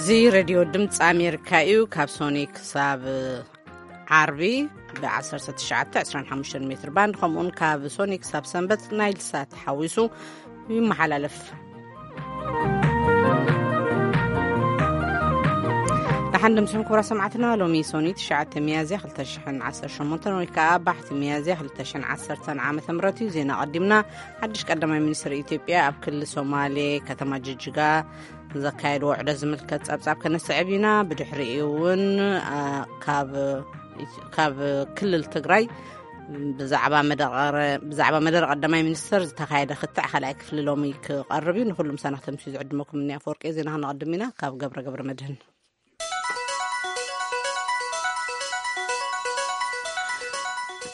እዚ ሬድዮ ድምፂ ኣሜሪካ እዩ። ካብ ሶኒ ክሳብ ዓርቢ ብ1925 ሜትር ባንድ፣ ከምኡውን ካብ ሶኒ ክሳብ ሰንበት ናይል ሳት ሓዊሱ ይመሓላለፍ። ደሓን ድምፅኹም ክቡራ ሰማዕትና። ሎሚ ሶኒ ትሽዓተ ሚያዝያ ክልተ ሽሕን ዓሰርተ ሸሞንተን ወይ ከዓ ባሕቲ ሚያዝያ ክልተ ሽሕን ዓሰርተን ዓመተ ምህረት እዩ። ዜና ቀዲምና። ሓድሽ ቀዳማይ ሚኒስትር ኢትዮጵያ ኣብ ክልል ሶማሌ ከተማ ጅጅጋ ዘካየድዎ ውዕደት ዝምልከት ጸብጻብ ከነስዕብ ኢና። ብድሕሪኡ እውን፣ አ፣ ካብ፣ ካብ ክልል ትግራይ ብዛዕባ መደረ-፣ ብዛዕባ መደረ ቀዳማይ ሚኒስተር ዝተኻየደ ክትዕ ካልኣይ ክፍሊ ሎሚ ክቐርብ እዩ። ንኹሉ ምሳና ክተምስዩ ዝዕድመኩም እኒ ኣፈወርቂ። ዜና ክነቐድም ኢና። ካብ ገብረ ገብረ መድህን።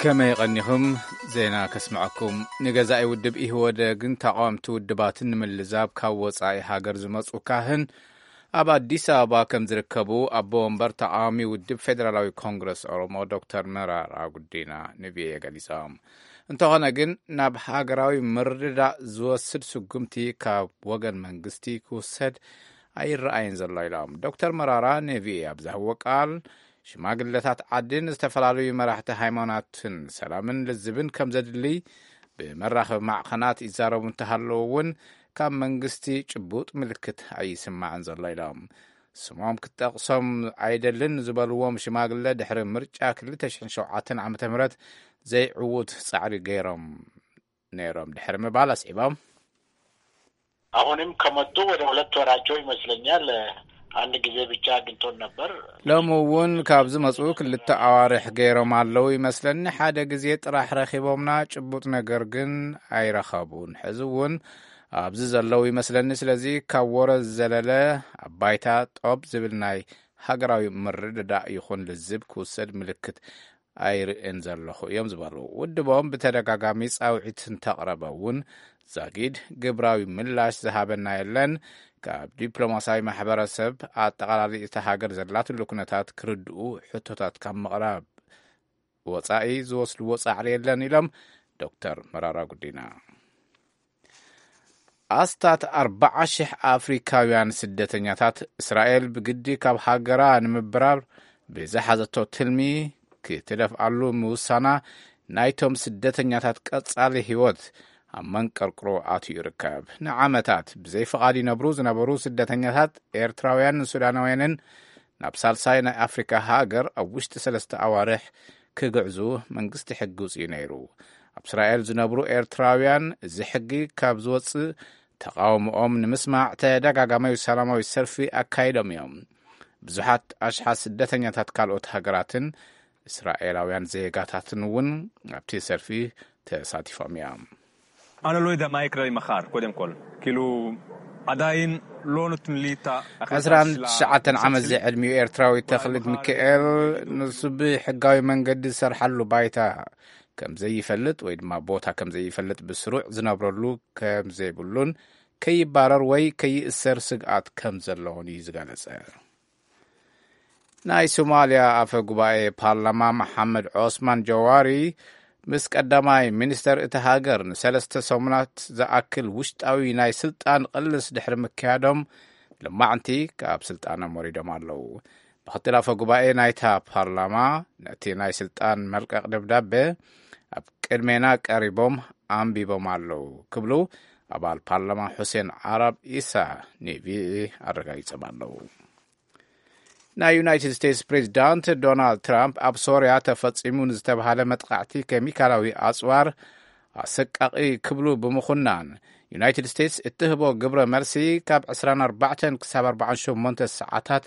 ከመይ ቀኒኹም? ዜና ከስምዐኩም። ንገዛኢ ውድብ ኢህወደግን ተቓወምቲ ውድባትን ንምልዛብ ካብ ወጻኢ ሃገር ዝመጹ ካህን ኣብ ኣዲስ ኣበባ ከም ዝርከቡ ኣቦ ወንበር ተቓዋሚ ውድብ ፌደራላዊ ኮንግረስ ኦሮሞ ዶክተር መራራ ጉዲና ንቪኦኤ ገሊጾም። እንተኾነ ግን ናብ ሃገራዊ ምርድዳእ ዝወስድ ስጉምቲ ካብ ወገን መንግስቲ ክውሰድ ኣይረኣይን ዘሎ ኢሎም። ዶክተር መራራ ንቪኦኤ ኣብ ዝሃብዎ ቃል ሽማግለታት ዓድን ዝተፈላለዩ መራሕቲ ሃይማኖትን ሰላምን ልዝብን ከም ዘድሊ ብመራኸቢ ማዕኸናት ይዛረቡ እንተሃለዉ እውን ካብ መንግስቲ ጭቡጥ ምልክት ኣይስማዕን ዘሎ ኢሎም። ስሞም ክጠቕሶም ኣይደልን ዝበልዎም ሽማግለ ድሕሪ ምርጫ ክልተ ሽሕን ሸውዓተን ዓመተ ምህረት ዘይዕዉት ጻዕሪ ገይሮም ነይሮም ድሕሪ ምባል ኣስዒቦም። አሁንም ከመጡ ወደ ሁለት ወራቸው ይመስለኛል። አንድ ጊዜ ብቻ አግኝቶን ነበር። ሎሚ እውን ካብ ዝመጹ ክልተ ኣዋርሕ ገይሮም ኣለዉ ይመስለኒ። ሓደ ግዜ ጥራሕ ረኺቦምና፣ ጭቡጥ ነገር ግን ኣይረኸቡን። ሕዚ እውን ኣብዚ ዘለዉ ይመስለኒ። ስለዚ ካብ ወረ ዝዘለለ ኣብ ባይታ ጠብ ዝብል ናይ ሃገራዊ ምርድዳእ ይኹን ልዝብ ክውሰድ ምልክት ኣይርእን ዘለኹ እዮም ዝበሉ። ውድቦም ብተደጋጋሚ ጻውዒት እንተቕረበ እውን ዛጊድ ግብራዊ ምላሽ ዝሃበና የለን። ካብ ዲፕሎማሲያዊ ማሕበረሰብ ኣጠቓላሊ እታ ሃገር ዘላትሉ ኩነታት ክርድኡ ሕቶታት ካብ ምቕራብ ወጻኢ ዝወስድዎ ጻዕሪ የለን ኢሎም ዶክተር መራራ ጉዲና። ኣስታት ኣርባዓ ሽሕ ኣፍሪካውያን ስደተኛታት እስራኤል ብግዲ ካብ ሃገራ ንምብራር ብዝሓዘቶ ትልሚ ክትደፍኣሉ ምውሳና ናይቶም ስደተኛታት ቀጻሊ ህይወት ኣብ መንቀርቅሮ ኣትዩ ይርከብ። ንዓመታት ብዘይ ፍቓድ ይነብሩ ዝነበሩ ስደተኛታት ኤርትራውያንን ሱዳናውያንን ናብ ሳልሳይ ናይ ኣፍሪካ ሃገር ኣብ ውሽጢ ሰለስተ ኣዋርሕ ክግዕዙ መንግስቲ ሕጊ ውፅኡ ነይሩ። ኣብ እስራኤል ዝነብሩ ኤርትራውያን እዚ ሕጊ ካብ ዝወፅእ ተቃውሞኦም ንምስማዕ ተደጋጋማዊ ሰላማዊ ሰልፊ ኣካይዶም እዮም። ብዙሓት ኣሽሓት ስደተኛታት ካልኦት ሃገራትን እስራኤላውያን ዜጋታትን እውን ኣብቲ ሰልፊ ተሳቲፎም እዮም። ኣነ ሎይደ ማይክረይ መኻር ኮደም ኮል ኪሉ ኣዳይን ሎኑትን ሊታ ዕስራን ትሽዓተን ዓመት ዝዕድሚኡ ኤርትራዊ ተኽሊት ሚካኤል ንሱ ብሕጋዊ መንገዲ ዝሰርሓሉ ባይታ ከም ዘይፈልጥ ወይ ድማ ቦታ ከም ዘይፈልጥ ብስሩዕ ዝነብረሉ ከም ዘይብሉን ከይባረር ወይ ከይእሰር ስግኣት ከም ዘለዎን እዩ ዝገለጸ። ናይ ሶማልያ ኣፈ ጉባኤ ፓርላማ መሓመድ ዖስማን ጀዋሪ ምስ ቀዳማይ ሚኒስተር እቲ ሃገር ንሰለስተ ሰሙናት ዝኣክል ውሽጣዊ ናይ ስልጣን ቅልስ ድሕሪ ምክያዶም ልማዕንቲ ካብ ስልጣኖም ወሪዶም ኣለዉ። ምክትል ኣፈ ጉባኤ ናይታ ፓርላማ ነቲ ናይ ስልጣን መልቀቕ ደብዳቤ ኣብ ቅድሜና ቀሪቦም ኣንቢቦም ኣለዉ ክብሉ ኣባል ፓርላማ ሑሴን ዓራብ ኢሳ ንቪኦኤ ኣረጋጊጾም ኣለዉ። ናይ ዩናይትድ ስቴትስ ፕሬዚዳንት ዶናልድ ትራምፕ ኣብ ሶርያ ተፈጺሙ ንዝተባሃለ መጥቃዕቲ ኬሚካላዊ ኣጽዋር ኣሰቃቒ ክብሉ ብምኹናን ዩናይትድ ስቴትስ እትህቦ ግብረ መልሲ ካብ ዕስራን ኣርባዕተን ክሳብ ኣርባዓን ሸሞንተ ሰዓታት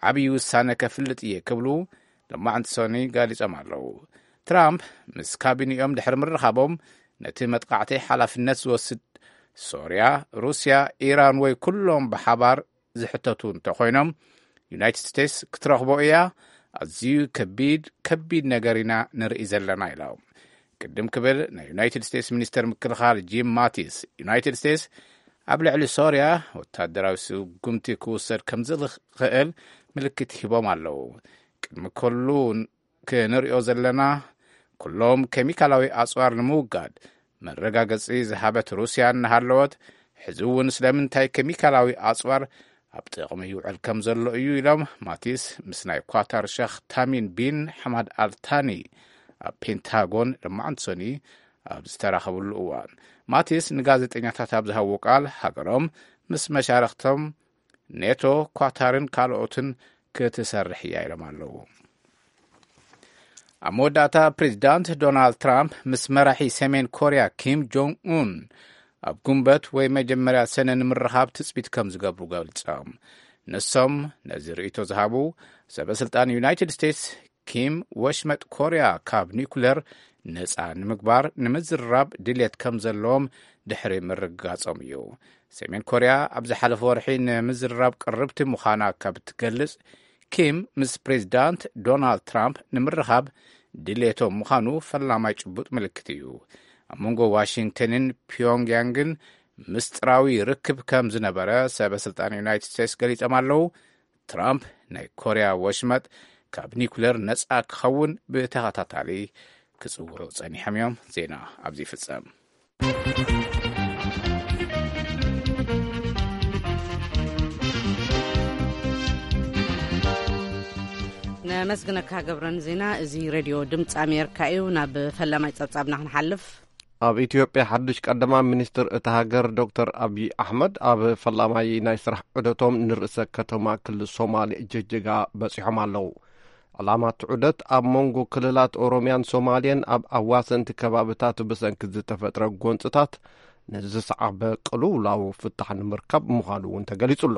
ዓብዪ ውሳነ ከፍልጥ እየ ክብሉ ሎማዕንቲ ሶኒ ገሊጾም ኣለዉ። ትራምፕ ምስ ካቢኒኦም ድሕሪ ምርኻቦም ነቲ መጥቃዕቲ ሓላፍነት ዝወስድ ሶርያ፣ ሩስያ፣ ኢራን ወይ ኩሎም ብሓባር ዝሕተቱ እንተኾይኖም ዩናይትድ ስቴትስ ክትረኽቦ እያ። ኣዝዩ ከቢድ ከቢድ ነገር ኢና ንርኢ ዘለና ኢሎም። ቅድም ክብል ናይ ዩናይትድ ስቴትስ ሚኒስተር ምክልኻል ጂም ማቲስ ዩናይትድ ስቴትስ ኣብ ልዕሊ ሶርያ ወታደራዊ ስጉምቲ ክውሰድ ከም ዝኽእል ምልክት ሂቦም ኣለዉ። ቅድሚ ኩሉ ክንሪኦ ዘለና ኩሎም ኬሚካላዊ ኣጽዋር ንምውጋድ መረጋገጺ ዝሃበት ሩስያ እናሃለወት ሕዚ እውን ስለምንታይ ኬሚካላዊ ኣጽዋር ኣብ ጥቕሚ ይውዕል ከም ዘሎ እዩ ኢሎም ማቲስ ምስ ናይ ኳታር ሸኽ ታሚም ቢን ሓማድ ኣልታኒ ኣብ ፔንታጎን ሎማዓንቲ ሰኑይ ኣብ ዝተራኸብሉ እዋን። ማቲስ ንጋዜጠኛታት ኣብ ዝሃብዎ ቃል፣ ሃገሮም ምስ መሻርኽቶም ኔቶ፣ ኳታርን ካልኦትን ክትሰርሕ እያ ኢሎም ኣለዉ። ኣብ መወዳእታ፣ ፕሬዚዳንት ዶናልድ ትራምፕ ምስ መራሒ ሰሜን ኮርያ ኪም ጆንግ ኡን ኣብ ጉንበት ወይ መጀመርያ ሰነ ንምርኻብ ትጽቢት ከም ዝገብሩ ገልጾም። ንሶም ነዚ ርእይቶ ዝሃቡ፣ ሰበ ስልጣን ዩናይትድ ስቴትስ ኪም ወሽመጥ ኮርያ ካብ ኒኩለር ነጻ ንምግባር ንምዝርራብ ድልየት ከም ዘለዎም ድሕሪ ምርግጋጾም እዩ። ሰሜን ኮርያ ኣብ ዝሓለፈ ወርሒ ንምዝርራብ ቅርብቲ ምዃና ካብ ትገልጽ፣ ኪም ምስ ፕሬዚዳንት ዶናልድ ትራምፕ ንምርኻብ ድልየቶም ምዃኑ ፈላማይ ጭቡጥ ምልክት እዩ። ኣብ መንጎ ዋሽንግተንን ፒዮንግያንግን ምስጢራዊ ርክብ ከም ዝነበረ ሰበ ስልጣን ዩናይትድ ስቴትስ ገሊጾም ኣለዉ። ትራምፕ ናይ ኮርያ ወሽመጥ ካብ ኒኩለር ነጻ ክኸውን ብተኸታታሊ ክጽውዑ ጸኒሖም እዮም። ዜና ኣብዚ ይፍጸም። ነመስግነካ ገብረን ዜና። እዚ ሬድዮ ድምፂ ኣሜሪካ እዩ። ናብ ፈላማይ ጸብጻብና ክንሓልፍ። ኣብ ኢትዮጵያ ሓድሽ ቀዳማይ ሚኒስትር እታ ሃገር ዶክተር ኣብይ ኣሕመድ ኣብ ፈላማይ ናይ ስራሕ ዑደቶም ንርእሰ ከተማ ክልል ሶማሌ ጅጅጋ በጺሖም ኣለዉ። ዕላማ እቲ ዑደት ኣብ መንጎ ክልላት ኦሮሚያን ሶማሌን ኣብ ኣዋሰንቲ ከባብታት ብሰንኪ ዝተፈጥረ ጎንፅታት ንዝሰዓበ ቅልውላው ፍታሕ ንምርካብ ምዃኑ እውን ተገሊጹ ኣሎ።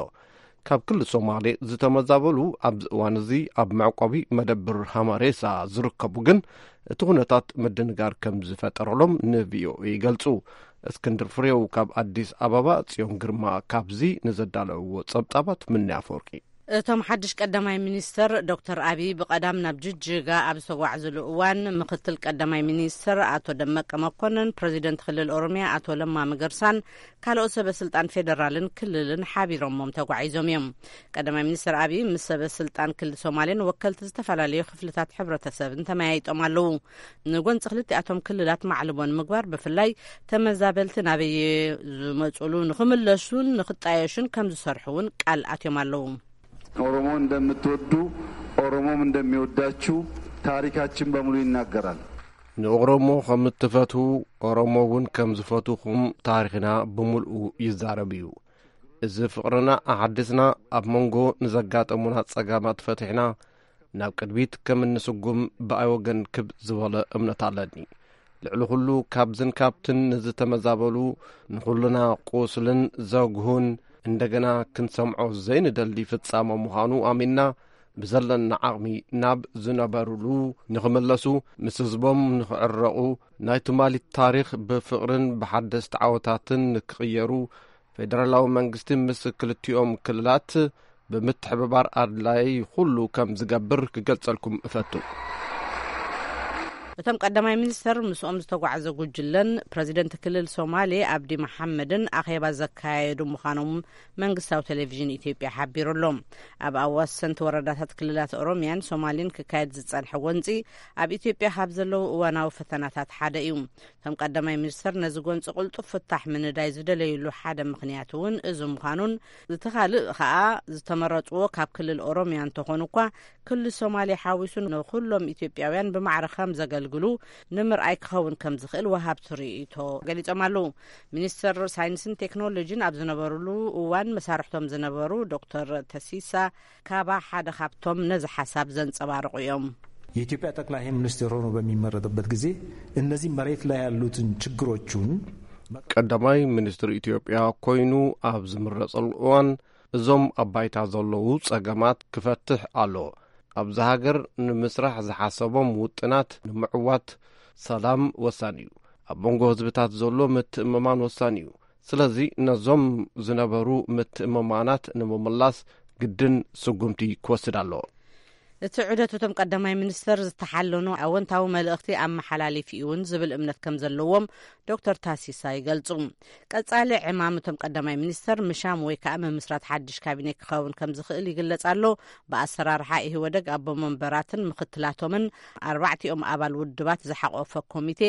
ካብ ክልል ሶማሌ ዝተመዛበሉ ኣብዚ እዋን እዚ ኣብ መዕቆቢ መደብር ሃማሬሳ ዝርከቡ ግን እቲ ኩነታት ምድንጋር ከም ዝፈጠረሎም ንቪኦኤ ይገልጹ። እስክንድር ፍሬው ካብ ኣዲስ ኣበባ፣ ጽዮን ግርማ ካብዚ ንዘዳለውዎ ጸብጻባት ምንያ ኣፈወርቂ። እቶም ሓድሽ ቀዳማይ ሚኒስተር ዶክተር ኣብይ ብቐዳም ናብ ጅጅጋ ኣብ ዝተጓዕዝሉ እዋን፣ ምክትል ቀዳማይ ሚኒስተር ኣቶ ደመቀ መኮንን፣ ፕረዚደንት ክልል ኦሮሚያ ኣቶ ለማ መገርሳን ካልኦት ሰበ ስልጣን ፌደራልን ክልልን ሓቢሮሞም ተጓዒዞም እዮም። ቀዳማይ ሚኒስተር ኣብይ ምስ ሰበ ስልጣን ክልል ሶማሌን ወከልቲ ዝተፈላለዩ ክፍልታት ሕብረተሰብን ተመያይጦም ኣለዉ። ንጎንፂ ክልቲኣቶም ክልላት ማዕልቦ ንምግባር፣ ብፍላይ ተመዛበልቲ ናበየ ዝመፁሉ ንክምለሱን ንክጣየሹን ከም ዝሰርሑ እውን ቃል ኣትዮም ኣለዉ። ኦሮሞ እንደምትወዱ፣ ኦሮሞም እንደሚወዳችሁ ታሪካችን በሙሉ ይናገራል። ንኦሮሞ ከም እትፈትዉ፣ ኦሮሞ እውን ከም ዝፈትውኹም ታሪኽና ብምልኡ ይዛረብ እዩ። እዚ ፍቕርና ኣሓዲስና፣ ኣብ መንጎ ንዘጋጠሙና ጸገማት ፈቲሕና፣ ናብ ቅድሚት ከም እንስጉም ብኣይ ወገን ክብ ዝበለ እምነት ኣለኒ። ልዕሊ ኩሉ ካብዝን ካብትን ንዝተመዛበሉ፣ ንኹልና ቁስልን ዘጉሁን እንደገና ክንሰምዖ ዘይንደሊ ፍጻመ ምዃኑ ኣሚንና፣ ብዘለና ዓቕሚ ናብ ዝነበሩሉ ንኽምለሱ፣ ምስ ህዝቦም ንኽዕረቑ፣ ናይ ትማሊ ታሪኽ ብፍቕርን ብሓደስቲ ዓወታትን ንክቕየሩ፣ ፌደራላዊ መንግስቲ ምስ ክልቲኦም ክልላት ብምትሕብባር ኣድላዪ ኩሉ ከም ዝገብር ክገልጸልኩም እፈቱ። እቶም ቀዳማይ ሚኒስተር ምስኦም ዝተጓዕዘ ጉጅለን ፕረዚደንት ክልል ሶማሌ ኣብዲ መሓመድን ኣኼባ ዘካየዱ ምዃኖም መንግስታዊ ቴሌቪዥን ኢትዮጵያ ሓቢሩ ኣሎ። ኣብ ኣዋሰንቲ ወረዳታት ክልላት ኦሮሚያን ሶማሌን ክካየድ ዝጸንሐ ጎንጺ፣ ኣብ ኢትዮጵያ ካብ ዘለዉ እዋናዊ ፈተናታት ሓደ እዩ። እቶም ቀዳማይ ሚኒስተር፣ ነዚ ጎንጺ ቅልጡፍ ፍታሕ ምንዳይ ዝደለይሉ ሓደ ምኽንያት እውን እዚ ምዃኑን፣ እቲ ካልእ ከኣ፣ ዝተመረጽዎ ካብ ክልል ኦሮሚያ እንተኾኑ እኳ፣ ክልል ሶማሌ ሓዊሱ ንኹሎም ኢትዮጵያውያን ብማዕረ ከም ዘገልግሉ ንምርኣይ ክኸውን ከም ዝኽእል ወሃብቲ ርእይቶ ገሊጾም ኣለዉ። ሚኒስተር ሳይንስን ቴክኖሎጂን ኣብ ዝነበሩሉ እዋን፣ መሳርሕቶም ዝነበሩ ዶክተር ተሲሳ ካባ ሓደ ካብቶም ነዚ ሓሳብ ዘንጸባርቑ እዮም። የኢትዮጵያ ጠቅላይ ሚኒስትር ሆኖ በሚመረጥበት ጊዜ እነዚህ መሬት ላይ ያሉትን ችግሮቹን ቀዳማይ ሚኒስትር ኢትዮጵያ ኮይኑ ኣብ ዝምረጸሉ እዋን፣ እዞም ኣብ ባይታ ዘለዉ ጸገማት ክፈትሕ ኣሎ። ኣብዚ ሃገር ንምስራሕ ዝሓሰቦም ውጥናት ንምዕዋት፣ ሰላም ወሳኒ እዩ። ኣብ መንጎ ህዝብታት ዘሎ ምትእምማን ወሳኒ እዩ። ስለዚ ነዞም ዝነበሩ ምትእምማናት ንምምላስ ግድን ስጉምቲ ክወስድ ኣለዎ። እቲ ዑደት እቶም ቀዳማይ ሚኒስተር ዝተሓለኖ ኣወንታዊ መልእኽቲ ኣመሓላሊፍ እዩ እውን ዝብል እምነት ከም ዘለዎም ዶክተር ታሲሳ ይገልጹ። ቀጻሊ ዕማም እቶም ቀዳማይ ሚኒስተር ምሻም ወይ ከኣ ምምስራት ሓድሽ ካቢኔ ክኸውን ከም ዝኽእል ይግለጽ ኣሎ። ብኣሰራርሓ ኢህወደግ ኣቦ መንበራትን ምኽትላቶምን ኣርባዕቲኦም ኣባል ውድባት ዝሓቆፈ ኮሚቴ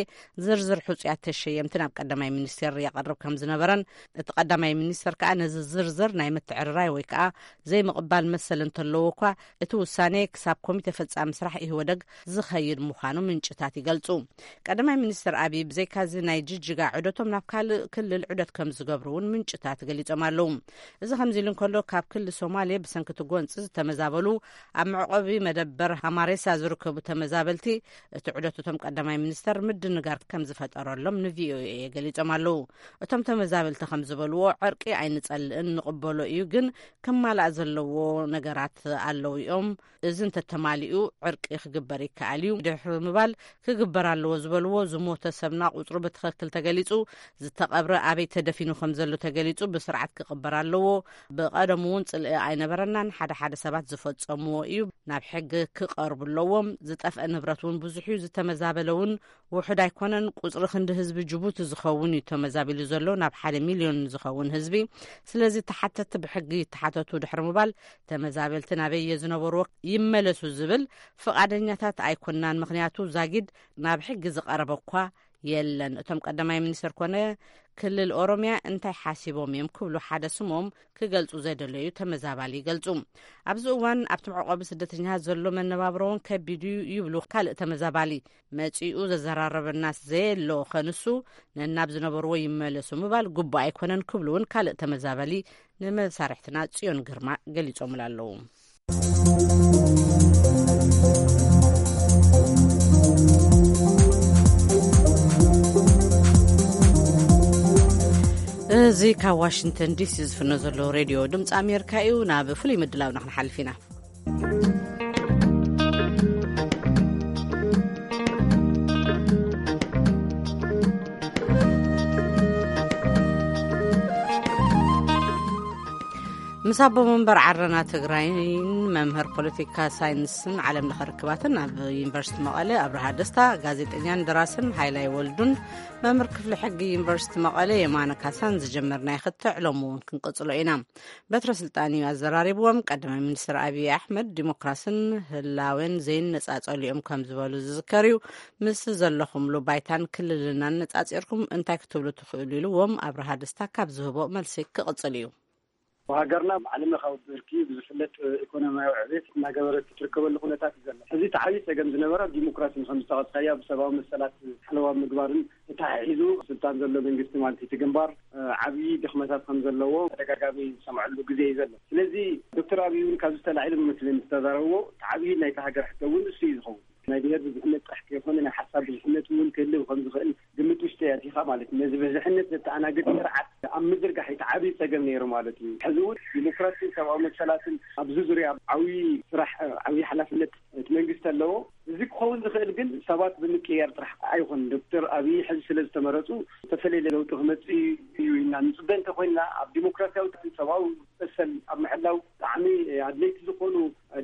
ዝርዝር ሕጹያት ተሸየምቲ ናብ ቀዳማይ ሚኒስቴር የቐርብ ከም ዝነበረን እቲ ቀዳማይ ሚኒስተር ከኣ ነዚ ዝርዝር ናይ ምትዕርራይ ወይ ከኣ ዘይምቕባል መሰል እንተለዎ እኳ እቲ ውሳኔ ክሳብ ኮሚቴ ፈጻሚ ስራሕ ኢህወደግ ዝኸይድ ምዃኑ ምንጭታት ይገልጹ። ቀዳማይ ሚኒስተር ኣብይ ብዘይካዚ ናይ ጅጅጋ ዑደቶም ናብ ካልእ ክልል ዑደት ከም ዝገብሩ እውን ምንጭታት ገሊጾም ኣለዉ። እዚ ከምዚ ኢሉ እንከሎ ካብ ክልል ሶማሌ ብሰንኪ እቲ ጎንጺ ዝተመዛበሉ ኣብ መዕቆቢ መደበር ሃማሬሳ ዝርከቡ ተመዛበልቲ እቲ ዑደት እቶም ቀዳማይ ሚኒስተር ምድንጋር ከም ዝፈጠረሎም ንቪኦኤ ገሊጾም ኣለዉ። እቶም ተመዛበልቲ ከም ዝበልዎ ዕርቂ ኣይንጸልእን ንቕበሎ እዩ፣ ግን ክማላእ ዘለዎ ነገራት ኣለዉ እዮም። እዚ እንተተማሊኡ ዕርቂ ክግበር ይከኣል እዩ። ድሕሪ ምባል ክግበር ኣለዎ ዝበልዎ ዝሞተ ሰብና ቁጽሩ ብትኽክል ተገሊጹ፣ ዝተቐብረ ኣበይ ተደፊኑ ከም ዘሎ ተገሊጹ ብስርዓት ክቕበር ኣለዎ። ብቐደሙ እውን ጽልኢ ኣይነበረናን ሓደ ሓደ ሰባት ዝፈጸምዎ እዩ። ናብ ሕጊ ክቐርቡ ኣለዎም። ዝጠፍአ ንብረት እውን ብዙሕ እዩ። ዝተመዛበለ እውን ውሑድ ኣይኮነን። ቁጽሪ ክንዲ ህዝቢ ጅቡቲ ዝኸውን እዩ ተመዛቢሉ ዘሎ፣ ናብ ሓደ ሚልዮን ዝኸውን ህዝቢ። ስለዚ ተሓተቲ ብሕጊ ይተሓተቱ ድሕሪ ምባል ተመዛበልቲ ናበይ እየ ዝነበርዎ ይመለሱ ዝብል ፍቓደኛታት ኣይኮናን። ምኽንያቱ ዛጊድ ናብ ሕጊ ዝቐረበ እኳ የለን። እቶም ቀዳማይ ሚኒስትር ኮነ ክልል ኦሮሚያ እንታይ ሓሲቦም እዮም ክብሉ ሓደ ስሞም ክገልጹ ዘይደለዩ ተመዛባሊ ይገልጹ። ኣብዚ እዋን ኣብቲ መዕቆቢ ስደተኛታት ዘሎ መነባብሮ እውን ከቢድ እዩ ይብሉ ካልእ ተመዛባሊ። መጺኡ ዘዘራረበናስ ዘየሎ ኸንሱ ነናብ ዝነበርዎ ይመለሱ ምባል ግቡእ ኣይኮነን ክብሉ እውን ካልእ ተመዛባሊ ንመሳርሕትና ጽዮን ግርማ ገሊጾምላ ኣለዉ። እዚ ካብ ዋሽንግተን ዲሲ ዝፍኖ ዘሎ ሬድዮ ድምፂ ኣሜሪካ እዩ። ናብ ፍሉይ ምድላውና ክንሓልፍ ኢና። ምስ ኣቦ መንበር ዓረና ትግራይን መምህር ፖለቲካ ሳይንስን ዓለም ለኸ ርክባትን ኣብ ዩኒቨርሲቲ መቐለ ኣብርሃ ደስታ፣ ጋዜጠኛን ደራስን ሃይላይ ወልዱን መምህር ክፍሊ ሕጊ ዩኒቨርሲቲ መቐለ የማነ ካሳን ዝጀመርናዮ ክትዕ ሎሚ እውን ክንቅጽሎ ኢና። በትረ ስልጣን እዩ ኣዘራሪብዎም። ቀዳማይ ሚኒስትር ኣብይ ኣሕመድ ዲሞክራስን ህላዌን ዘይነጻጸሉ እዮም ከም ዝበሉ ዝዝከር እዩ። ምስ ዘለኹምሉ ባይታን ክልልና ኣነጻጺርኩም እንታይ ክትብሉ ትኽእሉ ኢልዎም ኣብርሃ ደስታ ካብ ዝህቦ መልሲ ክቕጽል እዩ። ሃገርና ብዓለም ለኻዊ ብርኪ ብዝፍለጥ ኢኮኖሚያዊ ዕቤት እናገበረት ትርከበሉ ኩነታት እዩ ዘሎ። እዚ እቲ ዓብዪ ጸገም ዝነበረ ኣብ ዲሞክራሲ ከም ዝተቐስካያ ብሰብኣዊ መሰላት ሓለዋ ምግባርን ተተሓሒዙ ስልጣን ዘሎ መንግስቲ ማለት እቲ ግንባር ዓብዪ ድኽመታት ከም ዘለዎ ተደጋጋሚ ዝሰምዐሉ ግዜ እዩ ዘሎ። ስለዚ ዶክተር ኣብይ እውን ካብዚ ተላዒሉ መስለኒ ዝተዛረብዎ እቲ ዓብዪ ናይቲ ሃገር ሕቶ እውን እሱ እዩ ዝኸውን። ናይ ብሔር ብዙሕነት ጥራሕ ከይኮነ ናይ ሓሳብ ብዙሕነት እውን ክህልው ከም ዝኽእል ግምት ውሽጢ ኣቲኻ ማለት እዩ። ነዚ ብዝሕነት ዘተኣናግድ ስርዓት ኣብ ምዝርጋሕ እቲ ዓብዪ ጸገም ነይሩ ማለት እዩ። ሕዚ እውን ዲሞክራሲን ሰብኣዊ መሰላትን ኣብዚ ዙርያ ዓብዪ ስራሕ ዓብዪ ሓላፍነት እቲ መንግስቲ ኣለዎ። እዚ ክኸውን ዝኽእል ግን ሰባት ብምቅያር ጥራሕ ኣይኮን። ዶክተር ኣብይ ሕዚ ስለ ዝተመረፁ ዝተፈለየ ለውጢ ክመፅእ እዩ ኢልና ንፅበ እንተኮይንና ኣብ ዲሞክራሲያዊ ሰብኣዊ መሰል ኣብ ምሕላው ብጣዕሚ ኣድለይቲ ዝኾኑ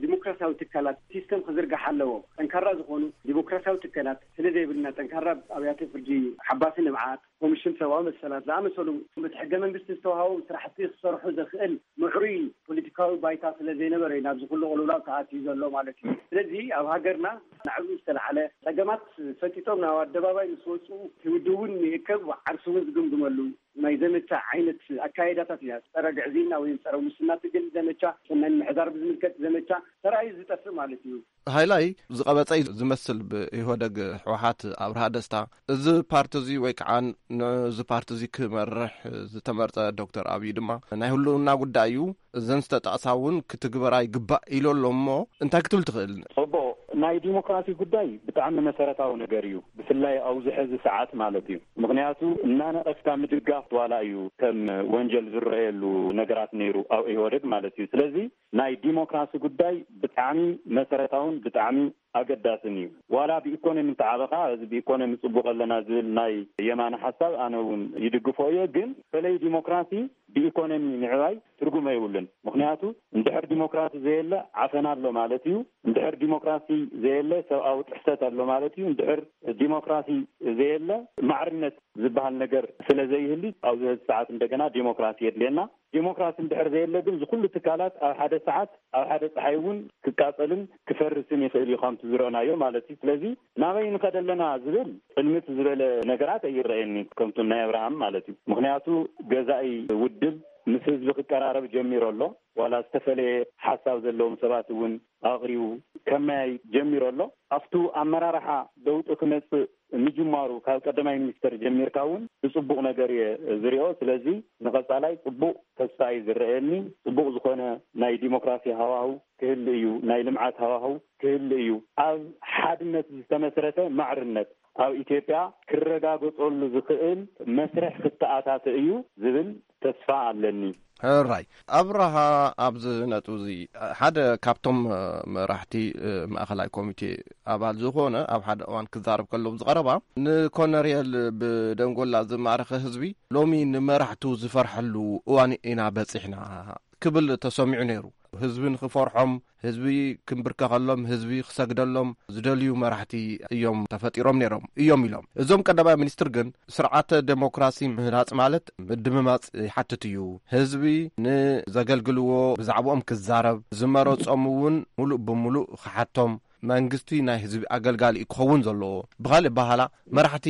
ዲሞክራሲያዊ ትካላት ሲስተም ክዝርጋሕ ኣለዎ። ጠንካራ ዝኾኑ ዲሞክራሲያዊ ትካላት ስለ ዘይብልና ጠንካራ ኣብያተ ፍርዲ፣ ሓባሲ ንብዓት፣ ኮሚሽን ሰብኣዊ መሰላት ዝኣመሰሉ በቲ ሕገ መንግስቲ ዝተዋሃቦም ስራሕቲ ክሰርሑ ዘኽእል ምዕሩይ ፖለቲካዊ ባይታ ስለ ዘይነበረ እዩ ናብዚ ኩሉ ቅልውላው ተኣትዩ ዘሎ ማለት እዩ። ስለዚ ኣብ ሃገርና ናዕብኡ ዝተለዓለ ጸገማት ፈጢጦም ናብ ኣደባባይ ምስ ወፁ እቲ ውድብ እውን ይእከብ ዓርሱ እውን ዝግምግመሉ ናይ ዘመቻ ዓይነት ኣካይዳታት ኢና። ጸረ ግዕዝይና ወይ ጸረ ሙስና ትግል ዘመቻ፣ ሰናይ ምሕዳር ብዝምልከት ዘመቻ ተራእዩ ዝጠፍእ ማለት እዩ። ሃይላይ ዝቐበጸ እዩ ዝመስል ብኢህወደግ ህወሓት ኣብርሃ ደስታ። እዚ ፓርቲ እዚ ወይ ከዓ ንዚ ፓርቲ እዚ ክመርሕ ዝተመርጸ ዶክተር ኣብይ ድማ ናይ ህልውና ጉዳይ እዩ። እዘን ዝተጠቕሳ እውን ክትግበራ ይግባእ ኢሉ ኣሎ እሞ እንታይ ክትብል ትኽእል? ጽቡቕ፣ ናይ ዲሞክራሲ ጉዳይ ብጣዕሚ መሰረታዊ ነገር እዩ፣ ብፍላይ ኣብዚ ሕዚ ሰዓት ማለት እዩ። ምኽንያቱ እናነቐፍካ ምድጋፍ ዋላ እዩ ከም ወንጀል ዝረኣየሉ ነገራት ነይሩ ኣብ ኢህወደግ ማለት እዩ። ስለዚ ናይ ዲሞክራሲ ጉዳይ ብጣዕሚ መሰረታውን ብጣዕሚ ኣገዳስን እዩ። ዋላ ብኢኮኖሚ እንተዓበኻ፣ እዚ ብኢኮኖሚ ጽቡቕ ኣለና ዝብል ናይ የማነ ሓሳብ ኣነ እውን ይድግፎ እየ። ግን በተለይ ዲሞክራሲ ብኢኮኖሚ ምዕባይ ትርጉም የብሉን። ምኽንያቱ እንድሕር ዲሞክራሲ ዘየለ ዓፈና ኣሎ ማለት እዩ። እንድሕር ዲሞክራሲ ዘየለ ሰብኣዊ ጥሕሰት ኣሎ ማለት እዩ። እንድሕር ዲሞክራሲ ዘየለ ማዕርነት ዝበሃል ነገር ስለ ዘይህሊ ኣብዚ ሰዓት እንደገና ዲሞክራሲ የድልየና። ዲሞክራሲ እንድሕር ዘየለ ግን ዝኹሉ ትካላት ኣብ ሓደ ሰዓት ኣብ ሓደ ፀሓይ እውን ክቃፀልን ክፈርስን ይኽእል እዩ ከምቲ ዝረእናዮ ማለት እዩ። ስለዚ ናበይ ንኸደ ኣለና ዝብል ጥልምት ዝበለ ነገራት ኣይረኣየኒ ከምቱ ናይ ኣብርሃም ማለት እዩ። ምኽንያቱ ገዛኢ ውድብ ምስ ህዝቢ ክቀራረብ ጀሚሩ ኣሎ። ዋላ ዝተፈለየ ሓሳብ ዘለዎም ሰባት እውን ኣቕሪቡ ከመያይ ጀሚሩ ኣሎ። ኣብቱ ኣመራርሓ ለውጢ ክመፅእ ምጅማሩ ካብ ቀዳማይ ሚኒስተር ጀሚርካ እውን ብፅቡቕ ነገር እየ ዝሪኦ። ስለዚ ንቐፃላይ ፅቡቕ ተስፋ እዩ ዝረኣየኒ። ፅቡቕ ዝኾነ ናይ ዲሞክራሲ ሃዋህው ክህል እዩ፣ ናይ ልምዓት ሃዋህው ክህል እዩ። ኣብ ሓድነት ዝተመስረተ ማዕርነት ኣብ ኢትዮጵያ ክረጋገፀሉ ዝኽእል መስርሕ ክተኣታተ እዩ ዝብል ተስፋ ኣለኒ። ሕራይ ኣብርሃ፣ ኣብዚ ነጥብ እዚ ሓደ ካብቶም መራሕቲ ማእኸላይ ኮሚቴ ኣባል ዝኾነ ኣብ ሓደ እዋን ክዛረብ ከሎ ብዝቐረባ ንኮነርየል ብደንጎላ ዝማረኸ ህዝቢ ሎሚ ንመራሕቱ ዝፈርሐሉ እዋን ኢና በፂሕና ክብል ተሰሚዑ ነይሩ። ህዝቢ ንኽፈርሖም፣ ህዝቢ ክንብርከኸሎም፣ ህዝቢ ክሰግደሎም ዝደልዩ መራሕቲ እዮም ተፈጢሮም ነይሮም እዮም ኢሎም። እዞም ቀዳማይ ሚኒስትር ግን ስርዓተ ዴሞክራሲ ምህናጽ ማለት ምድምማጽ ይሓትት እዩ። ህዝቢ ንዘገልግልዎ ብዛዕባኦም ክዛረብ፣ ዝመረጾም እውን ሙሉእ ብሙሉእ ክሓቶም፣ መንግስቲ ናይ ህዝቢ ኣገልጋሊ እዩ ክኸውን ዘለዎ። ብኻልእ ኣበሃህላ መራሕቲ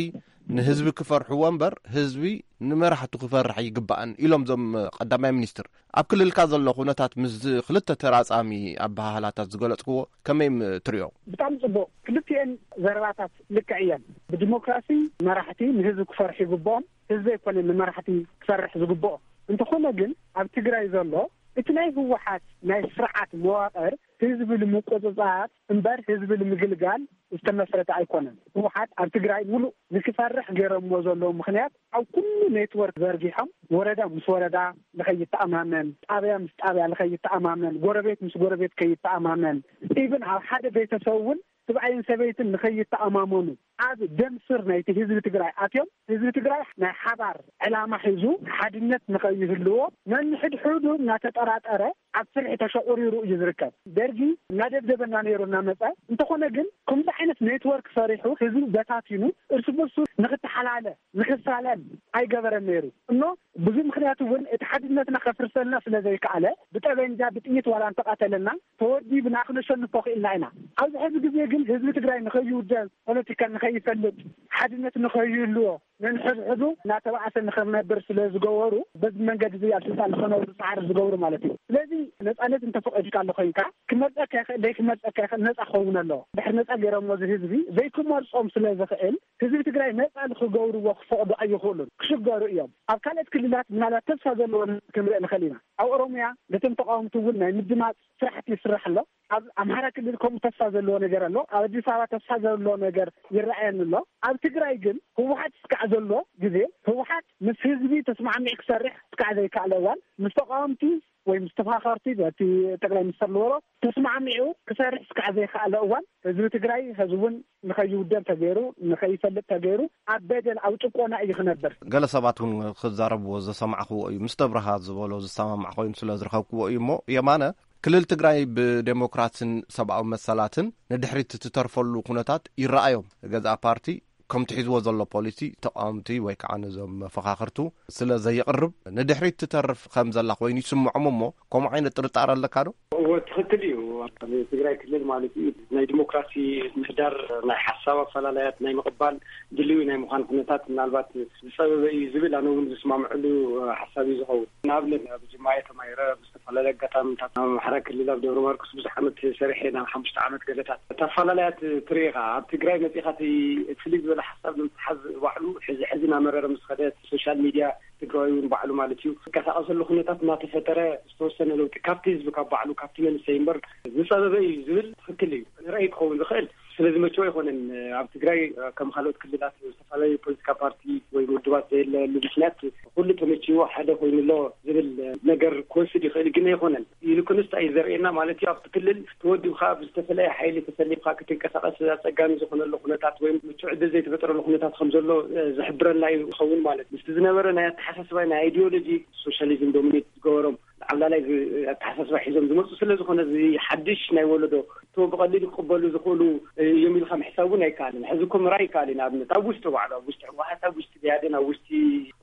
ንህዝቢ ክፈርሕዎ እምበር ህዝቢ ንመራሕቱ ክፈርሕ ኣይግባእን ኢሎም እዞም ቀዳማይ ሚኒስትር። ኣብ ክልልካ ዘሎ ኩነታት ምስዚ ክልተ ተራጻሚ ኣበሃህላታት ዝገለጽክዎ ከመይ ትርእዮ? ብጣዕሚ ጽቡቕ። ክልቲኤን ዘረባታት ልክዕ እየን። ብዲሞክራሲ መራሕቲ ንህዝቢ ክፈርሑ ይግብኦም፣ ህዝቢ ኣይኮነን ንመራሕቲ ክፈርሕ ዝግብኦ። እንተኾነ ግን ኣብ ትግራይ ዘሎ እቲ ናይ ህወሓት ናይ ስርዓት መዋቕር ህዝቢ ንምቁጽጻር እምበር ህዝቢ ንምግልጋል ዝተመስረተ ኣይኮነን። ህወሓት ኣብ ትግራይ ሙሉእ ንክፈርሕ ገይሮምዎ ዘለዉ ምኽንያት ኣብ ኩሉ ኔትወርክ ዘርጊሖም ወረዳ ምስ ወረዳ ንኸይተኣማመን፣ ጣብያ ምስ ጣብያ ንኸይተኣማመን፣ ጎረቤት ምስ ጎረቤት ከይተኣማመን፣ ኢቭን ኣብ ሓደ ቤተሰብ እውን ስብኣይን ሰበይትን ንኸይተኣማመኑ ኣብ ደም ስር ናይቲ ህዝቢ ትግራይ ኣትዮም ህዝቢ ትግራይ ናይ ሓባር ዕላማ ሒዙ ሓድነት ንኸይህልዎ ነንሕድሕዱ እናተጠራጠረ ኣብ ፍርሒ ተሸቑሪሩ እዩ ዝርከብ። ደርጊ እናደብደበና ነይሩ እናመፀ እንተኾነ ግን ከምዚ ዓይነት ኔትወርክ ሰሪሑ ህዝቢ በታቲኑ እርስ በርሱ ንክተሓላለ ንክሳለም ኣይገበረን ነይሩ እኖ ብዙ ምክንያት እውን እቲ ሓድነትና ከፍርሰልና ስለ ዘይከኣለ ብጠበንጃ ብጥይት ዋላ እንተቃተለና ተወዲብና ክነሸንፎ ክኢልና ኢና። ኣብዚ ሕዚ ግዜ ግን ህዝቢ ትግራይ ንኸይውደብ ፖለቲካ ንኸይፈልጥ ሓድነት ንኸይህልዎ ነንሕድሕዱ እናተባኣሰ ንኽነብር ስለ ዝገበሩ በዚ መንገዲ እዚ ኣብ ስልጣን ንኽነብሩ ፃዕሪ ዝገብሩ ማለት እዩ። ስለዚ ነፃነት እንተፈቐድካ ኣሎ ኮይንካ ክመርፀካ ይኽእል ዘይክመርፀካ ይኽእል ነፃ ክኸውን ኣለዎ። ድሕሪ ነፃ ገይሮሞ እዚ ህዝቢ ዘይክመርፆም ስለ ዝኽእል ህዝቢ ትግራይ ነፃ ንኽገብርዎ ክፈቕዱ ኣይኽእሉን፣ ክሽገሩ እዮም። ኣብ ካልኦት ክልላት ምናልባት ተስፋ ዘለዎ ክንርኢ ንኽእል ኢና። ኣብ ኦሮሚያ ነቶም ተቃወምቲ እውን ናይ ምድማፅ ስራሕቲ ይስራሕ ኣሎ። ኣብ ኣምሓራ ክልል ከምኡ ተስፋ ዘለዎ ነገር ኣሎ። ኣብ ኣዲስ ኣበባ ተስፋ ዘለዎ ነገር ይረኣየኒ ኣሎ። ኣብ ትግራይ ግን ህወሓት እስካዕ ዘሎ ግዜ ህወሓት ምስ ህዝቢ ተስማዕሚዕ ክሰርሕ እስካዕ ዘይከኣለ እዋን ምስ ተቃወምቲ ወይ ምስ ተፋኸርቲ በቲ ጠቅላይ ሚኒስትር ዝበሎ ተስማዕሚዑ ክሰርሕ እስካዕ ዘይከኣለ እዋን ህዝቢ ትግራይ ህዝቢ እውን ንኸይውደብ ተገይሩ ንኸይፈልጥ ተገይሩ ኣብ በደል ኣብ ጭቆና እዩ ክነብር። ገለ ሰባት እውን ክዛረብዎ ዝሰማዕክዎ እዩ። ምስ ተብርሃ ዝበሎ ዝሰማማዕ ኮይኑ ስለ ዝረኸብክዎ እዩ። እሞ የማነ ክልል ትግራይ ብዴሞክራሲን ሰብኣዊ መሰላትን ንድሕሪት እትተርፈሉ ኩነታት ይረኣዮም። ገዛእ ፓርቲ ከምቲ ሒዝዎ ዘሎ ፖሊሲ ተቃወምቲ ወይ ከዓ ነዞም መፈኻኽርቱ ስለ ዘየቕርብ ንድሕሪት ትተርፍ ከም ዘላ ኮይኑ ይስምዖም እሞ ከምኡ ዓይነት ጥርጣረ ኣለካ ዶ? እዎ ትኽክል እዩ። ኣብ ትግራይ ክልል ማለት እዩ ናይ ዲሞክራሲ ምህዳር ናይ ሓሳብ ኣፈላለያት ናይ ምቕባል ድልዊ ናይ ምዃን ኩነታት ምናልባት ዝፀበበ እዩ ዝብል ኣነ እውን ዝስማምዐሉ ሓሳብ እዩ ዝኸውን። ንኣብነት ኣብ ጅማ እየ ተማሂረ ብዝተፈላለየ ኣጋጣሚታት ኣብ ኣምሓራ ክልል ኣብ ደብረ ማርቆስ ብዙሕ ዓመት ሰሪሐ ናብ ሓሙሽተ ዓመት ገለታት እታ ኣፈላለያት ትርኢ ኢኻ ኣብ ትግራይ መፂኻ እቲ ፍልይ ዝበለ ሓሳብ ንምትሓዝ ባዕሉ ሕዚ ሕዚ እናመረረ ምስ ኸደ ሶሻል ሚድያ ትግራዊ እውን ባዕሉ ማለት እዩ ዝንቀሳቐሰሉ ኩነታት እናተፈጠረ ዝተወሰነ ለውጢ ካብቲ ህዝቢ ካብ ባዕሉ ካብቲ መንሰይ እምበር ዝፀበበ እዩ ዝብል ትኽክል እዩ። ንራእይ ክኸውን ዝኽእል ስለዝመቸው ኣይኮነን። ኣብ ትግራይ ከም ካልኦት ክልላት ዝተፈላለዩ ፖለቲካ ፓርቲ ወይ ውድባት ዘየለሉ ምክንያት ኩሉ ተመችዎ ሓደ ኮይኑ ኣሎ ዝብል ነገር ክወስድ ይኽእል ግን ኣይኮነን። ይልቁንስ እንታይ እዩ ዘርእየና ማለት እዩ? ኣብቲ ክልል ተወዲብካ ብዝተፈለየ ሓይሊ ተሰሊፍካ ክትንቀሳቐስ ኣጸጋሚ ዝኾነሉ ኩነታት ወይ ምቹእ ዕድል ዘይተፈጠረሉ ኩነታት ከም ዘሎ፣ እ፣ ዝሕብረና እዩ ዝኸውን ማለት እዩ። ምስቲ ዝነበረ ናይ ኣተሓሳስባ ናይ ኣይዲዮሎጂ ሶሻሊዝም ዶሚኔት ዝገበሮም ዓብላላይ ዝ-፣ ኣተሓሳስባ ሒዞም ዝመጹ ስለ ዝኾነ እዚ ሓድሽ ናይ ወለዶ እቶ ብቐሊሉ ክቕበሉ ዝኽእሉ እዮም ኢልካ ምሕሳብ እውን ኣይከኣልን። ሕዚ እኮ ምርኣይ ይከኣል እዩ። ንኣብነት ኣብ ውሽጢ ባዕሉ፣ ኣብ ውሽጢ ህወሓት፣ ኣብ ውሽጢ ብኣዴን፣ ኣብ ውሽጢ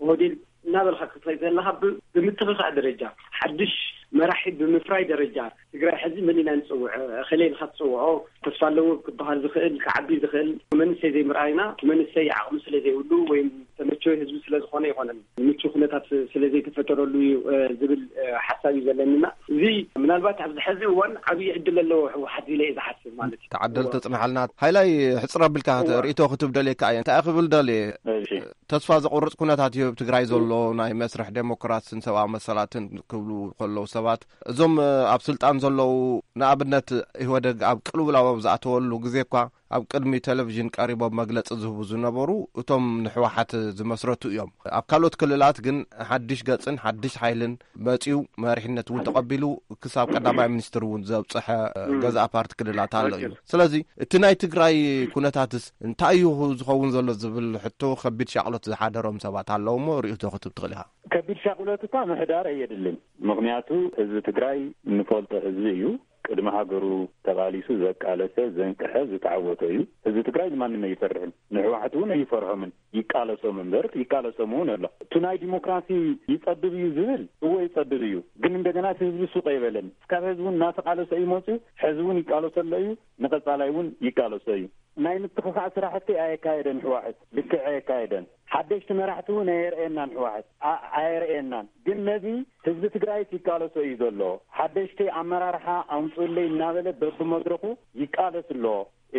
ኦህዴድ እናበልካ ክትኸይድ ዘለኻ ብ-፣ ብምትኽኻእ ደረጃ ሓድሽ መራሒ ብምፍራይ ደረጃ ትግራይ ሕዚ መን ኢና ንፅውዕ? እኸለ ኢልካ ትፅውዖ ተስፋ ኣለዎ ክበሃል ዝኽእል፣ ክዓቢ ዝኽእል መንእሰይ ዘይምርኣይና፣ መንእሰይ ዓቕሚ ስለ ዘይብሉ ወይም ተመቸወ ህዝቢ ስለ ዝኾነ ኣይኮነን፣ ምቹ ኩነታት ስለ ዘይተፈጠረሉ እዩ፣ እ፣ ዝብል፣ እ፣ ሓሳብ እዩ ዘለኒና። እዚ ምናልባት ኣብዚ ሕዚ እዋን ዓብዪ ዕድል ኣለዎ ህወሓት ኢለ እየ ዝሓስብ ማለት እዩ። ተዓደል ተጽንሓልና። ሃይላይ፣ ሕጽር ኣቢልካ እዋ። ርእይቶ ክትብ ደልየካ እየ። እንታይ ክብል ደልየ? እሺ። ተስፋ ዘቑርጽ ኩነታት እዩ ኣብ ትግራይ ዘሎ፣ ናይ መስርሕ ዴሞክራስን ሰብኣዊ መሰላትን ክብሉ ከለዉ ሰባት፣ እዞም፣ እ፣ ኣብ ስልጣን ዘለዉ፣ ንኣብነት ኢህወደግ ኣብ ቅልውላው ኣብ ዝኣተወሉ ግዜ እኳ ኣብ ቅድሚ ቴሌቪዥን ቀሪቦም መግለጺ ዝህቡ ዝነበሩ እቶም ንሕወሓት ዝመስረቱ እዮም። ኣብ ካልኦት ክልላት ግን ሓድሽ ገጽን ሓድሽ ሓይልን መጺኡ መሪሕነት እውን ተቐቢሉ ክሳብ ቀዳማይ ሚኒስትር እውን ዘብጽሐ፣ እ፣ እም። ገዛእ ፓርቲ ክልላት ኣሎ እዩ። ትክክል። ስለዚ እቲ ናይ ትግራይ ኩነታትስ እንታይ እዩ ዝኸውን ዘሎ ዝብል ሕቶ ከቢድ ሻቕሎት ዝሓደሮም ሰባት ኣለዉ እሞ ርእይቶ ክትብ ትኽእል ኢኻ። ከቢድ ሻቕሎት እኳ ምሕዳር ኣየድልን። ምኽንያቱ ህዝቢ ትግራይ እንፈልጦ ህዝቢ እዩ። ቅድሚ ሃገሩ ተቓሊሱ ዘቃለሰ፣ ዘንቅሐ፣ ዝተዓወተ እዩ። ህዝቢ ትግራይ ንማንም ኣይፈርሕን። ንሕወሓት እውን ኣይፈርሖምን። ይቃለሶም እምበር ይቃለሶም እውን ኣሎ። እቲ ናይ ዲሞክራሲ ይጸብብ እዩ ዝብል፣ እወ ይጸብብ እዩ። ግን እንደገና እቲ ህዝቢ ሱቕ ኣይበለን። እስካብ ህዝቢ እውን እናተቃለሰ እዩ መፅዩ። ሕዚ እውን ይቃለሶ ኣሎ እዩ። ንቐጻላይ እውን ይቃለሶ እዩ። ናይ ምትኽኻእ ስራሕቲ ኣየካየደን ህወሓት። ልክዕ ኣየካየደን። ሓደሽቲ መራሕቲ እውን ኣየርእየናን ህወሓት። ኣ-፣ ኣየርእየናን። ግን ነዚ ህዝቢ ትግራይስ ይቃለሶ እዩ ዘሎ። ሓደሽቲ ኣመራርሓ ኣምፅእለይ እናበለ በብመድረኹ ይቃለስ ኣሎ።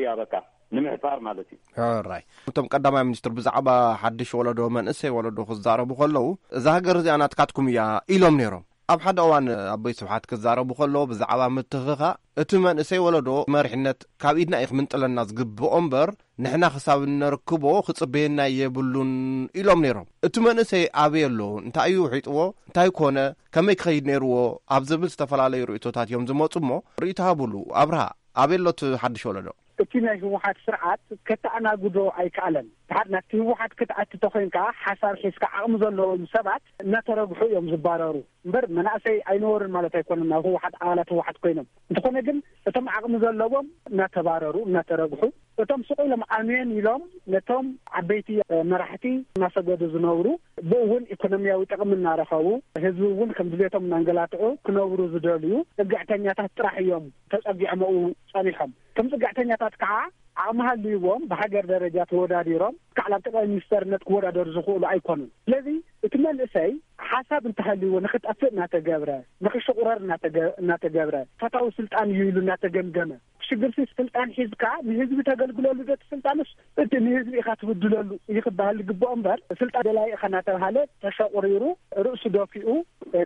እያ በቃ ንምሕፃር ማለት እዩ። ሕራይ። እቶም ቀዳማይ ሚኒስትር ብዛዕባ ሓድሽ ወለዶ፣ መንእሰይ ወለዶ ክዛረቡ ከለዉ፣ "እዛ ሃገር እዚኣ ናትካትኩም እያ" ኢሎም ነይሮም። ኣብ ሓደ እዋን ኣቦይ ስብሓት ክዛረቡ ከለዉ ብዛዕባ ምትኽኻእ፣ እቲ መንእሰይ ወለዶ መሪሕነት ካብ ኢድና እዩ ክምንጥለና ዝግብኦ እምበር፣ ንሕና ክሳብ እነርክቦ ክጽበየና የብሉን ኢሎም ነይሮም። እቲ መንእሰይ ኣበይ ኣሎ? እንታይ እዩ ውሒጥዎ? እንታይ ኮነ? ከመይ ክኸይድ ነይርዎ? ኣብ ዝብል ዝተፈላለዩ ርእይቶታት እዮም ዝመጹ እሞ፣ ርእይቶ ሃቡሉ። ኣብርሃ፣ ኣበይ ኣሎ እቲ ሓድሽ ወለዶ? እቲ ናይ ህወሓት ስርዓት ከተኣናግዶ ኣይከኣለን። ድሓር ናብቲ ህወሓት ክትኣቲ ተኾይንካ፣ ሓሳብ ሒዝካ ዓቕሚ ዘለዎም ሰባት እናተረግሑ እዮም ዝባረሩ። እምበር መናእሰይ ኣይነበሩን ማለት ኣይኮነን፣ ናብ ህወሓት፣ ኣባላት ህወሓት ኮይኖም። እንተኾነ ግን እቶም ዓቕሚ ዘለዎም እናተባረሩ፣ እናተረግሑ፣ እቶም ስቕ ኢሎም ኣሜን ኢሎም ነቶም ዓበይቲ፣ እ፣ መራሕቲ እናሰገዱ ዝነብሩ፣ ብኡ እውን ኢኮኖሚያዊ ጥቕሚ እናረኸቡ፣ ህዝቢ እውን ከም ድሌቶም እናንገላትዑ ክነብሩ ዝደልዩ ጽግዕተኛታት ጥራሕ እዮም ተጸጊዖም ኣብኡ ጸኒሖም። እቶም ጽግዕተኛታት ከዓ ዓቕሚ ሃልይዎም ብሃገር ደረጃ ተወዳዲሮም ክሳዕ ናብ ጠቅላይ ሚኒስተርነት ክወዳደሩ ዝኽእሉ ኣይኮኑን። ስለዚ እቲ መንእሰይ ሓሳብ እንተሃልይዎ ንኽጠፍእ እናተገብረ፣ ንኽሽቑረር እናተገ-፣ እናተገብረ፣ ፈታዊ ስልጣን እዩ ኢሉ እናተገምገመ፣ ሽግርሲ ስልጣን ሒዝካ ንህዝቢ ተገልግለሉ ዶ እቲ ስልጣንስ እቲ ንህዝቢ ኢኻ ትብድለሉ እዩ ክበሃል ዝግብኦ እምበር፣ ስልጣን ደላይ ኢኻ እናተባሃለ ተሸቑሪሩ ርእሱ ደፊኡ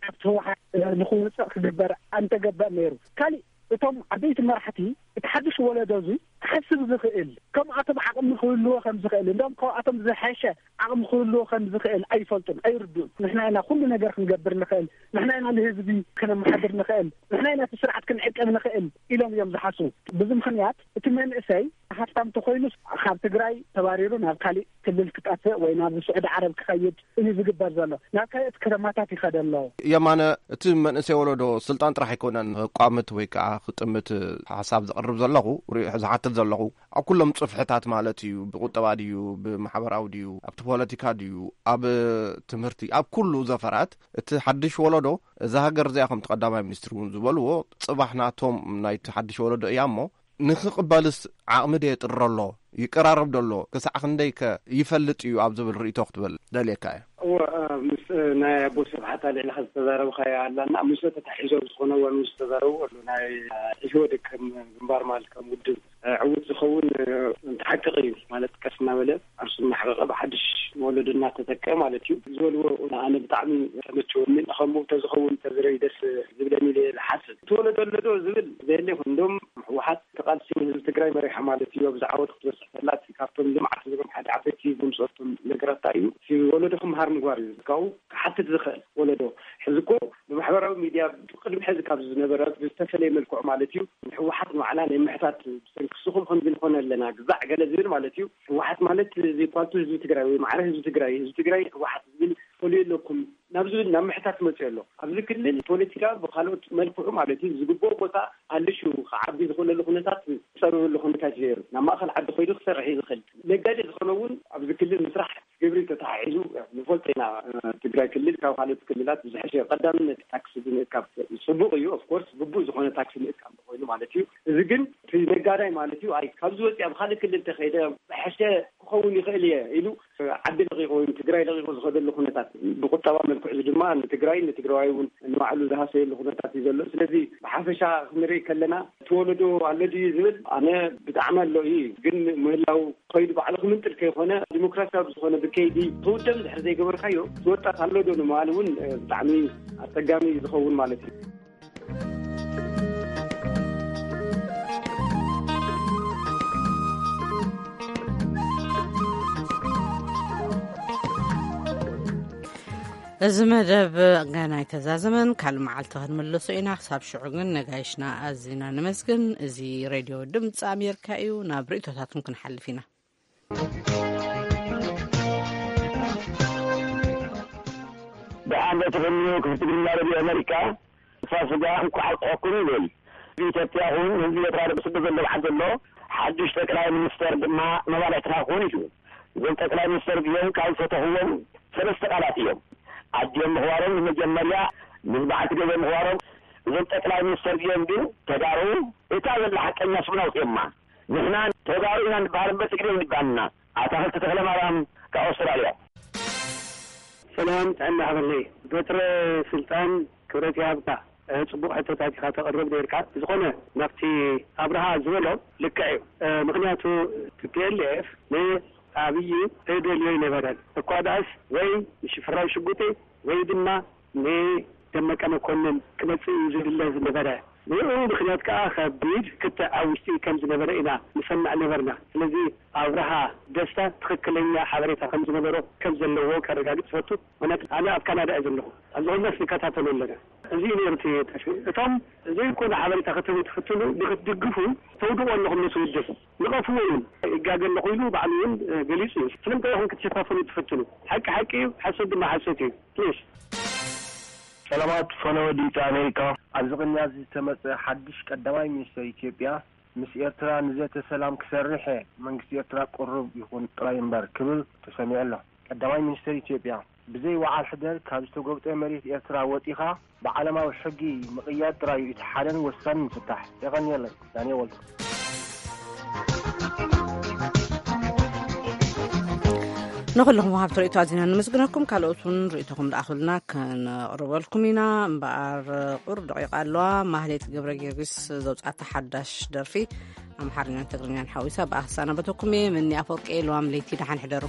ካብቲ ህወሓት ንኽውፅእ ክግበር ኣንተገበእ ነይሩ። ካሊእ እቶም ዓበይቲ መራሕቲ እቲ ሓድሽ ወለዶ እዚ ክሓስብ ዝኽእል፣ ከምኣቶም ዓቕሚ ክህልዎ ከም ዝኽእል፣ እንደውም ካብኣቶም ዝሐሸ ዓቕሚ ክህልዎ ከም ዝኽእል ኣይፈልጡን፣ ኣይርድኡን። ንሕና ኢና ኩሉ ነገር ክንገብር ንኽእል፣ ንሕና ኢና ንህዝቢ ክነመሓድር ንኽእል፣ ንሕና ኢና እቲ ስርዓት ክንዕቅብ ንኽእል ኢሎም እዮም ዝሓስቡ። በዚ ምኽንያት እቲ መንእሰይ ሃብታም ተኾይኑስ ካብ ትግራይ ተባሪሩ ናብ ካሊእ ክልል ክጠፍእ ወይ ናብ ስዑዲ ዓረብ ክኸይድ እዩ ዝግበር ዘሎ። ናብ ካልኦት ከተማታት ይኸደ ኣሎ። የማነ፣ እቲ መንእሰይ ወለዶ ስልጣን ጥራሕ ኣይኮነን ክቋምት ወይ ከዓ ክጥምት ሓሳብ ዘቕርብ ዘለኹ፣ ሪ-፣ ዝሓትት ዘለኹ፣ ኣብ ኩሎም ጽፍሕታት ማለት እዩ፣ ብቁጠባ ድዩ፣ ብማሕበራዊ ድዩ፣ ኣብቲ ፖለቲካ ድዩ፣ ኣብ ትምህርቲ፣ ኣብ ኩሉ ዘፈራት እቲ ሓድሽ ወለዶ፣ እዛ ሃገር እዚኣ ከምቲ ቀዳማይ ሚኒስትር እውን ዝበልዎ፣ ጽባሕ ናቶም ናይቲ ሓድሽ ወለዶ እያ እሞ፣ ንኽቕበልስ ዓቕሚ ዶ የጥሮ ኣሎ? ይቀራረብ ዶ ኣሎ? ክሳዕ ክንደይከ ይፈልጥ እዩ ኣብ ዝብል ርእይቶ ክትብል ደልየካ እየ። እወ፣ እ፣ ምስ፣ እ፣ ናይ ኣቦ ስብሓት ኣልዒልካ ዝተዛረብካዮ ኣላና፣ ምስኡ ተታሒዞም ዝኾነ እዋን ምስ ዝተዛረቡ ኣሎ። ናይ፣ እ፣ ኢህወዴግ ከም ግንባር ማለት ከም ውድብ፣ እ፣ ዕዉት ዝኸውን፣ እ፣ እንተ ሓቂ እዩ ማለት ቀስ እናበለ ዓርሱ እናሓቐቐ ብሓድሽ ወለዶ እናተተክአ ማለት እዩ ዝበልዎ ኣነ ብጣዕሚ ተመቸወኒ። ከምኡ ተዝኸውን ተዝረይ ደስ ዝብለኒ ኢለ ዝሓስብ። እቲ ወለዶ ኣሎ ዶ ዝብል ዘየለ ይኹን። እንደውም ህወሓት ተቓልሲ ንህዝቢ ትግራይ መሪሓ ማለት እዩ። ኣብዚ ዓወት ክትበፅሕ ከላ እቲ ካብቶም ልምዓት ዝብሎም ሓደ ዓበይቲ ዝምፅኦም ነገራት እንታይ እዩ? እቲ ወለዶ ክምሃር ምግባር እዩ። ካብኡ ክሓትት ዝኽእል ወለዶ። ሕዚ እኮ ማሕበራዊ ሚድያ ቅድሚ ሕዚ ካብ ዝነበረ ብዝተፈለየ መልክዑ ማለት እዩ፣ ንህወሓት ንባዕላ ናይ ምሕታት ብሰንኪ ንስኹም ከምዚ ንኾነ ኣለና ግዛዕ ገለ ዝብል ማለት እዩ። ህወሓት ማለት ዘይኳልቱ ህዝቢ ትግራይ ወይ ማዕረ ህዝቢ ትግራይ፣ ህዝቢ ትግራይ ህወሓት ዝብል ፈልዩ ኣለኩም ናብ ዝብል ናብ ምሕታት መፅኡ ኣሎ። ኣብዚ ክልል ፖለቲካ ብካልኦት መልክዑ ማለት እዩ ዝግብኦ ቦታ ኣልሹ ክዓቢ ዝኽእለሉ ኩነታት ዝፀብበሉ ኩነታት እዩ ነይሩ። ናብ ማእኸል ዓዲ ኮይዱ ክሰርሕ እዩ ዝኽእል። ነጋዴ ዝኾነ እውን ኣብዚ ክልል ምስራሕ ግብሪ ተተሓሒዙ ንፈልጦ ኢና። ትግራይ ክልል ካብ ካልኦት ክልላት ብዝሐሸ ቀዳምነት ታክሲ ብምእካብ፣ ፅቡቕ እዩ። ኦፍኮርስ ግቡእ ዝኾነ ታክሲ ምእካብ ኮይኑ ማለት እዩ። እዚ ግን እቲ ነጋዳይ ማለት እዩ፣ ኣይ ካብዚ ወፂኣ ብካልእ ክልል ተኸይደ ዝሐሸ ክኸውን ይኽእል እየ ኢሉ ዓዲ ለቂቑ ወይ ትግራይ ለቂቑ ዝኸደሉ ኩነታት፣ ብቁጠባ መልክዑ ድማ ንትግራይ ንትግራዋይ እውን ንባዕሉ ዝሃሰየሉ ኩነታት እዩ ዘሎ። ስለዚ ብሓፈሻ ክንርኢ ከለና እቲ ወለዶ ኣሎ ድዩ ዝብል ኣነ ብጣዕሚ ኣሎ እዩ። ግን ምህላው ከይዱ ባዕሉ ክምንጥል ከይኮነ ዲሞክራሲያዊ ዝኾነ ብከይዲ ክውደም ድሕር ዘይገበርካዮ እቲ ወጣት ኣሎ ዶ ንምባል እውን ብጣዕሚ ኣፀጋሚ ዝኸውን ማለት እዩ። እዚ መደብ ገና ኣይተዛዘመን፣ ካልእ መዓልቲ ክንምልሶ ኢና። ክሳብ ሽዑ ግን ነጋይሽና ኣዚና ነመስግን። እዚ ሬድዮ ድምፂ ኣሜሪካ እዩ። ናብ ርእቶታትኩም ክንሓልፍ ኢና። ደሓን ዶ ትኾኑ ክፍቲ ግርማ ሬድዮ ኣሜሪካ? ፋሲጋ እንኳዕ ኣብፅሐኩም ይብል። ኢትዮጵያ ይኹን ህዝቢ ኤርትራ ደብስቡ ዘሎ በዓል ዘሎ ሓዱሽ ጠቅላይ ሚኒስተር ድማ መባልዕትና ክኾን እዩ። እዞም ጠቅላይ ሚኒስተር እዚኦም ካብ ዝፈተኽዎም ሰለስተ ቃላት እዮም። ኣዲኦም ምኽባሮም ንመጀመርያ፣ ምስ በዓልቲ ገዛ ምኽባሮም። እዞም ጠቅላይ ሚኒስተር እዚኦም ግን ተጋሩ እታ ዘላ ሓቀኛ ስምና ውፅኦማ። ንሕና ተጋሩ ኢና ንበሃል እምበር ትግሬ ይባልና። ኣታኽልቲ ተኽለ ማርያም ካብ ኣውስትራልያ። ሰላም ጥዕና ሃበለይ። በትረ ስልጣን ክብረት ይሃብካ። ጽቡቕ ሕቶታት ኢኻ ተቕርብ ነርካ። ዝኾነ ናብቲ ኣብርሃ ዝበሎ ልክዕ እዩ። ምኽንያቱ ቲ ፒ ኤል ኤፍ ንኣብይ ዘይደልዮ ኣይነበረን። እኳ ደኣስ ወይ ንሽፍራው ሽጉጤ ወይ ድማ ንደመቀ መኮንን ክመጽእ እዩ ዝድለ ዝነበረ። ብኡ ምኽንያት ከኣ ከቢድ ክትዕ ኣብ ውሽጢ ከም ዝነበረ ኢና ንሰምዕ ነበርና። ስለዚ ኣብርሃ ደስታ ትኽክለኛ ሓበሬታ ከም ዝነበሮ ከም ዘለዎ ከረጋግጽ እፈቱ። ምኽንያቱ ኣነ ኣብ ካናዳ እየ ዘለኹ። ኣብዚ ኩናት ንከታተሎ ኣለና። እዚ እዩ ነይሩ እቲ ጠፊኡ። እቶም ዘይኮነ ሓበሬታ ክትህቡ ትፍትኑ ንክትድግፉ ተውድቑ ኣለኹም ነቲ ውድብ። ንቐፍዎ እውን ይጋገ ኣለኹ ኢሉ ባዕሉ እውን ገሊጹ እዩ። ስለምንታይ ኢኹም ክትሸፋፍኑ ትፍትኑ? ሓቂ ሓቂ እዩ፣ ሓሶት ድማ ሓሶት እዩ። ፕሊስ። ሰላማት ፈነወ ድምፂ ኣሜሪካ። ኣብዚ ቅንያት ዝተመፀ ሓድሽ ቀዳማይ ሚኒስተር ኢትዮጵያ ምስ ኤርትራ ንዘተ ሰላም ክሰርሕ እየ፣ መንግስቲ ኤርትራ ቅሩብ ይኹን ጥራይ እምበር ክብል ተሰሚዑ ኣሎ። ቀዳማይ ሚኒስተር ኢትዮጵያ ብዘይ ወዓል ሕደር ካብ ዝተጎብጠ መሬት ኤርትራ ወፂኻ ብዓለማዊ ሕጊ ምቕያድ ጥራይ እዩ እቲ ሓደን ወሳንን ፍታሕ። የቐንየለይ። ዳንኤል ወልዱ። ንኹልኹም ወሃብቲ ርእቶ ኣዚና ንምስግነኩም። ካልኦት እውን ርእቶኹም ልኣኹልና ከነቕርበልኩም ኢና። እምበኣር ቁሩብ ደቂቃ ኣለዋ። ማህሌት ገብረ ጊዮርጊስ ዘውጻእታ ሓዳሽ ደርፊ ኣምሓርኛን ትግርኛን ሓዊሳ ብኣክሳና በተኩም እየ። መኒ ኣፈወርቂ እየ። ለዋም ለይቲ ደሓን ሕደሩ።